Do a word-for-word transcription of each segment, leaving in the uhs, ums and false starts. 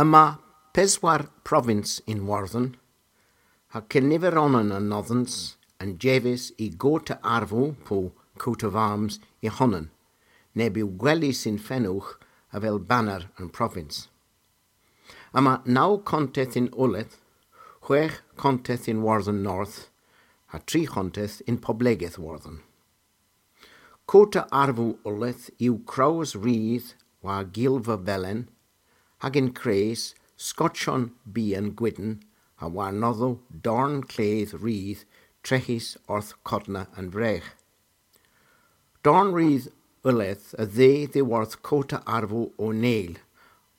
Yma peswar provins yn Iwerdhon, ha kenniveronan anodhans a'n jeves y gorta arvow po coat of arms y honan, neb yw gwelys yn fenowgh avel baner an provins. Yma naw konteth yn Ulleth, hwegh konteth yn Iwerdhon North, ha tri honteth yn poblegeth Iwerdhon. Kota arvow Ulleth yw krows rudh war gilva velen, hag yn kres skotyon bian gwydn, ha warnodho dorn kledh rudh treghys orth kodna an vreg. Dorn rudh Ulleth a dheu dhyworth kota arvow O'Neill,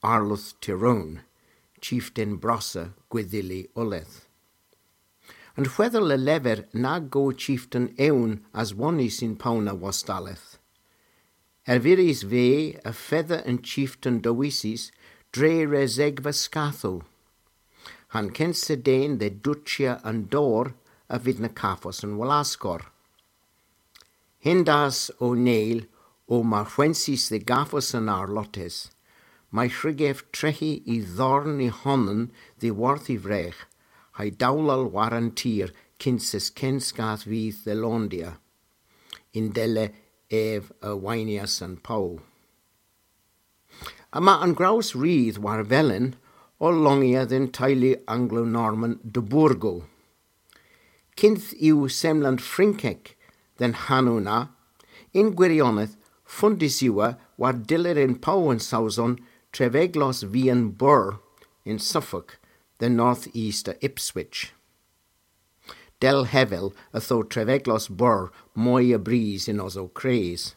Arlodh Tyrone, chiften brossa Gwydhyli Ulleth. An hwedhel a lever nag o chiften ewn aswonys yn pow na wostaleth. Ervirys veu y fedha an chiften dewisys dre resegva skathow. Ha'n kensa den dhe duchya an dor a vydh na kavos an wlaskor. Hendas O'Neill o marhwensys dhe gavos an arlotes, may hwrug ev treghi y dhorn y honan dhyworth y vreg, ha'y dowlal war an tir kyns ev kenskath vydh dhe londya, yndella ev a waynyas an pow. Yma an grows rudh war velen ow longya dhe'n teylu Anglo-Norman de Burgo. Kynth yw semlant Frynkek dhe'n hanow na, yn gwiryonedh, fondys yw war dyller yn pow an Sowson treveglos vian Burr yn Suffolk, dhe north-east a Ipswich. Dell hevel yth o treveglos Burr moy a bris yn Osow Kres.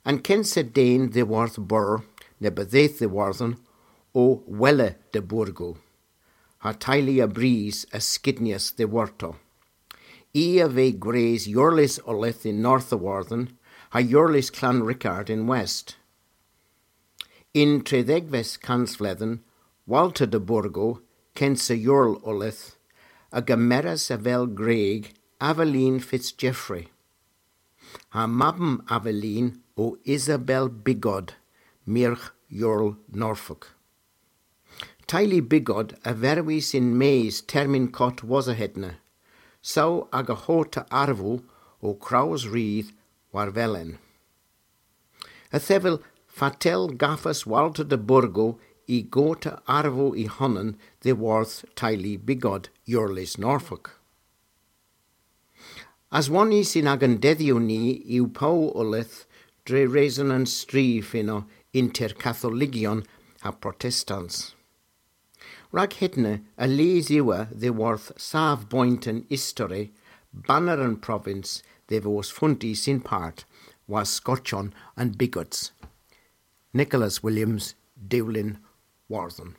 An kensa den dhyworth Burr, neb a dheuth dhyworthon, o Wella de Burgo, ha teylu a bris a skidnyas dhyworto. I a veu gwres Iorles Ulleth yn North Iwerdhon, ha Iorles Clanricarde yn West. Yn tredhegves kansvledhen, Walter de Burgo, kensa Iorl Ulleth, a gemeras avel gwreg Aveline Fitzgeoffrey. Ha mabm Aveline o Isabel Bigod, myrgh Iorl Norfolk. Teylu Bigod a verwis yn-mes termyn kott wosa hedna, saw aga hota arvow o krows rudh war velen. Yth yw fatel gavas Walter de Burgo y gorta arvow y honan dhyworth teylu Bigod, Iorles Norfolk. Aswonys yn agan dedhyow ni yw pow Ulleth dre reson an strif ynno ynter Katholigyon ha Protestans. Rag hedna, a lies yw dhyworth savboynt an istori, baner an provins dhe vos fondys yn part war skotyon an Bigods. Nicholas Williams, Dewlin Iwerdhon.